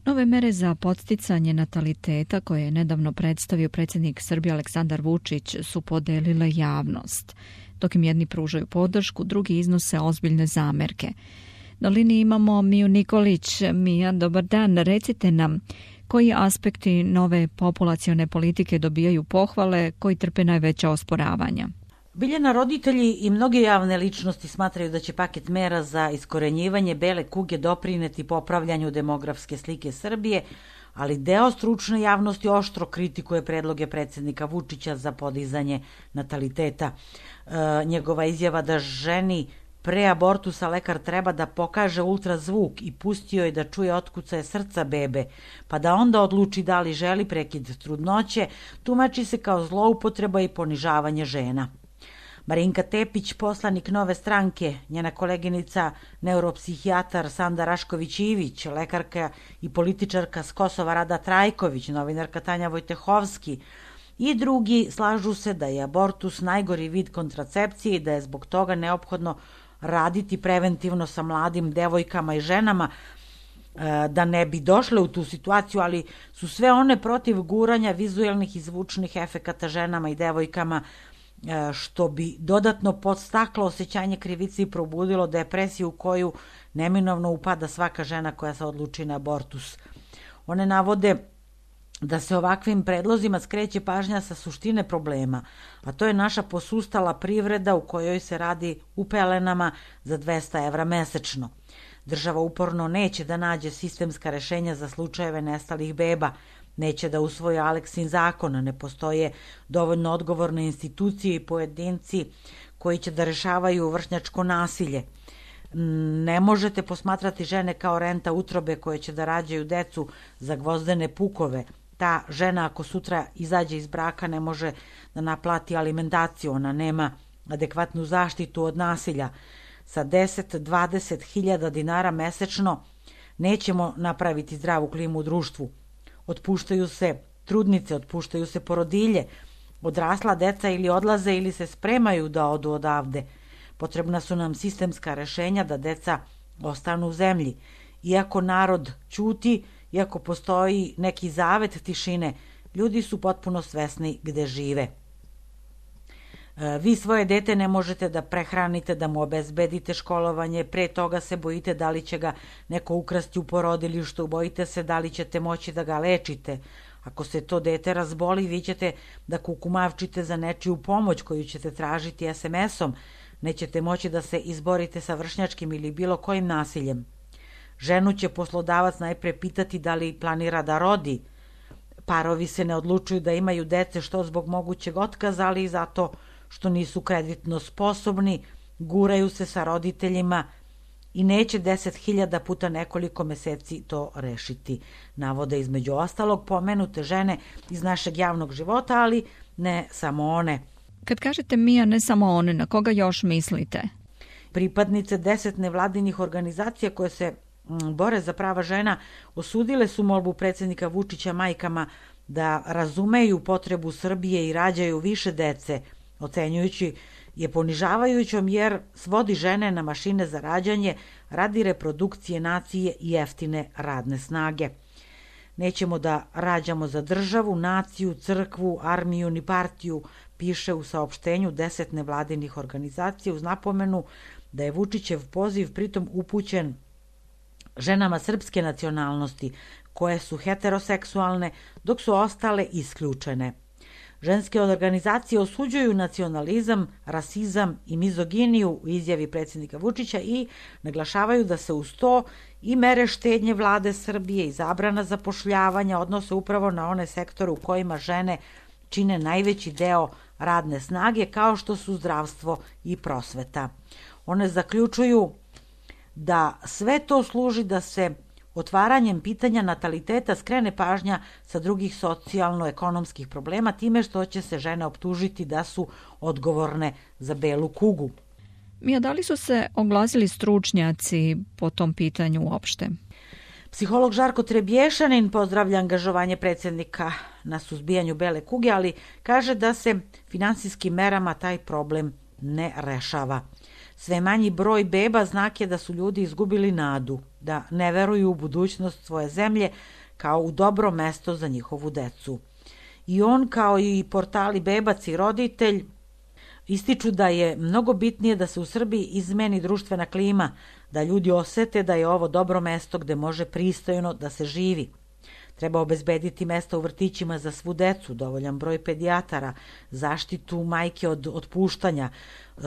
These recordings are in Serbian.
Nove mere za podsticanje nataliteta koje je nedavno predstavio predsjednik Srbije Aleksandar Vučić su podelile javnost. Dok im jedni pružaju podršku, drugi iznose ozbiljne zamerke. Na liniji imamo Miju Nikolić. Mija, dobar dan. Recite nam koji aspekti nove populacione politike dobijaju pohvale, koji trpe najveća osporavanja? Biljana, roditelji i mnoge javne ličnosti smatraju da će paket mera za iskorenjivanje bele kuge doprineti popravljanju demografske slike Srbije, ali deo stručne javnosti oštro kritikuje predloge predsjednika Vučića za podizanje nataliteta. Njegova izjava da ženi pre abortusa lekar treba da pokaže ultrazvuk i pusti joj da čuje otkucaje srca bebe, pa da onda odluči da li želi prekid trudnoće, tumači se kao zloupotreba i ponižavanje žena. Marinka Tepić, poslanik Nove stranke, njena koleginica neuropsihijatar Sanda Rašković-Ivić, lekarka i političarka s Kosova Rada Trajković, novinarka Tanja Vojtehovski i drugi slažu se da je abortus najgori vid kontracepcije i da je zbog toga neophodno raditi preventivno sa mladim devojkama i ženama da ne bi došle u tu situaciju, ali su sve one protiv guranja vizuelnih i zvučnih efekata ženama i devojkama, što bi dodatno podstaklo osjećanje krivice i probudilo depresiju u koju neminovno upada svaka žena koja se odluči na abortus. One navode da se ovakvim predlozima skreće pažnja sa suštine problema, a to je naša posustala privreda u kojoj se radi u pelenama za 200 evra mesečno. Država uporno neće da nađe sistemska rešenja za slučajeve nestalih beba, neće da usvoje Aleksin zakon, ne postoje dovoljno odgovorne institucije i pojedinci koji će da rešavaju vršnjačko nasilje. Ne možete posmatrati žene kao renta utrobe koje će da rađaju decu za gvozdene pukove. Ta žena ako sutra izađe iz braka ne može da naplati alimentaciju, ona nema adekvatnu zaštitu od nasilja. Sa 10-20 hiljada dinara mesečno nećemo napraviti zdravu klimu u društvu. Otpuštaju se trudnice, otpuštaju se porodilje, odrasla deca ili odlaze ili se spremaju da odu odavde. Potrebna su nam sistemska rešenja da deca ostanu u zemlji. Iako narod ćuti, iako postoji neki zavet tišine, ljudi su potpuno svesni gde žive. Vi svoje dete ne možete da prehranite, da mu obezbedite školovanje, pre toga se bojite da li će ga neko ukrasti u porodilištu, bojite se da li ćete moći da ga lečite. Ako se to dete razboli, vi ćete da kukumavčite za nečiju pomoć koju ćete tražiti SMS-om, nećete moći da se izborite sa vršnjačkim ili bilo kojim nasiljem. Ženu će poslodavac najpre pitati da li planira da rodi. Parovi se ne odlučuju da imaju dece što zbog mogućeg otkaza, ali i zato što nisu kreditno sposobni, guraju se sa roditeljima i neće 10.000 puta nekoliko meseci to rešiti. Navode između ostalog pomenute žene iz našeg javnog života, ali ne samo one. Kad kažete Mija, ne samo one, na koga još mislite? Pripadnice 10 nevladinih organizacija koje se bore za prava žena osudile su molbu predsjednika Vučića majkama da razumeju potrebu Srbije i rađaju više dece, ocenjujući je ponižavajućom jer svodi žene na mašine za rađanje radi reprodukcije nacije i jeftine radne snage. Nećemo da rađamo za državu, naciju, crkvu, armiju ni partiju, piše u saopštenju 10 nevladinih organizacija uz napomenu da je Vučićev poziv pritom upućen ženama srpske nacionalnosti koje su heteroseksualne dok su ostale isključene. Ženske organizacije osuđuju nacionalizam, rasizam i mizoginiju u izjavi predsjednika Vučića i naglašavaju da se uz to i mere štednje vlade Srbije i zabrana zapošljavanja odnose upravo na one sektore u kojima žene čine najveći deo radne snage kao što su zdravstvo i prosveta. One zaključuju da sve to služi da se otvaranjem pitanja nataliteta skrene pažnja sa drugih socijalno-ekonomskih problema time što će se žene optužiti da su odgovorne za belu kugu. Mija, da li su se oglasili stručnjaci po tom pitanju uopšte? Psiholog Žarko Trebješanin pozdravlja angažovanje predsjednika na suzbijanju bele kuge, ali kaže da se finansijskim merama taj problem ne rešava. Sve manji broj beba znak je da su ljudi izgubili nadu, da ne veruju u budućnost svoje zemlje kao u dobro mesto za njihovu decu. I on, kao i portali Bebac i Roditelj, ističu da je mnogo bitnije da se u Srbiji izmeni društvena klima, da ljudi osete da je ovo dobro mesto gde može pristojno da se živi. Treba obezbediti mesta u vrtićima za svu decu, dovoljan broj pedijatara, zaštitu majke od otpuštanja,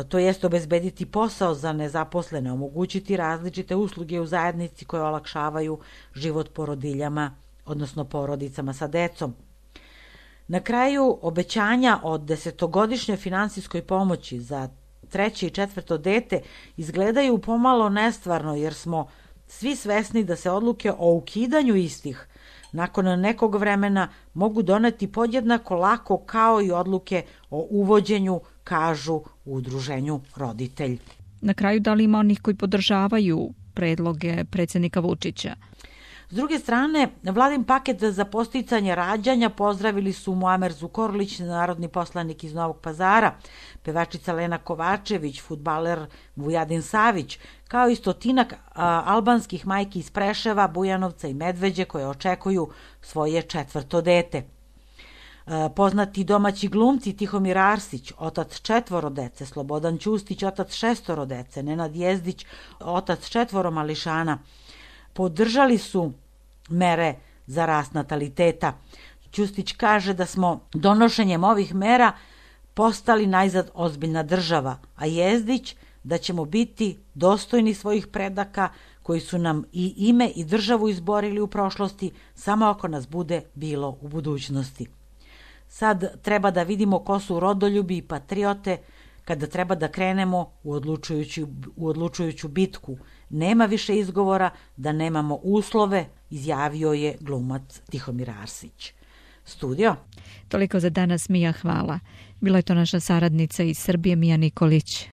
to jest obezbediti posao za nezaposlene, omogućiti različite usluge u zajednici koje olakšavaju život porodiljama, odnosno porodicama sa decom. Na kraju, obećanja o 10-godišnjoj finansijskoj pomoći za 3. i 4. dete izgledaju pomalo nestvarno, jer smo svi svesni da se odluke o ukidanju istih nakon nekog vremena mogu doneti podjednako lako kao i odluke o uvođenju, kažu u udruženju Roditelj. Na kraju, da li ima onih koji podržavaju predloge predsjednika Vučića? S druge strane, vladin paket za podsticanje rađanja pozdravili su Muamer Zukorlić, narodni poslanik iz Novog Pazara, pevačica Lena Kovačević, fudbaler Vujadin Savić, kao i stotinak albanskih majki iz Preševa, Bujanovca i Medveđe koje očekuju svoje 4. dete. Poznati domaći glumci Tihomir Arsić, otac 4 dece, Slobodan Ćustić, otac 6 dece, Nenad Jezdić, otac 4 mališana, podržali su mere za rast nataliteta. Ćustić kaže da smo donošenjem ovih mera postali najzad ozbiljna država, a Jezdić da ćemo biti dostojni svojih predaka koji su nam i ime i državu izborili u prošlosti, samo ako nas bude bilo u budućnosti. Sad treba da vidimo ko su rodoljubi i patriote kada treba da krenemo u odlučujuću bitku. Nema više izgovora da nemamo uslove, izjavio je glumac Tihomir Arsić. Studio. Toliko za danas, Mija, hvala. Bila je to naša saradnica iz Srbije, Mija Nikolić.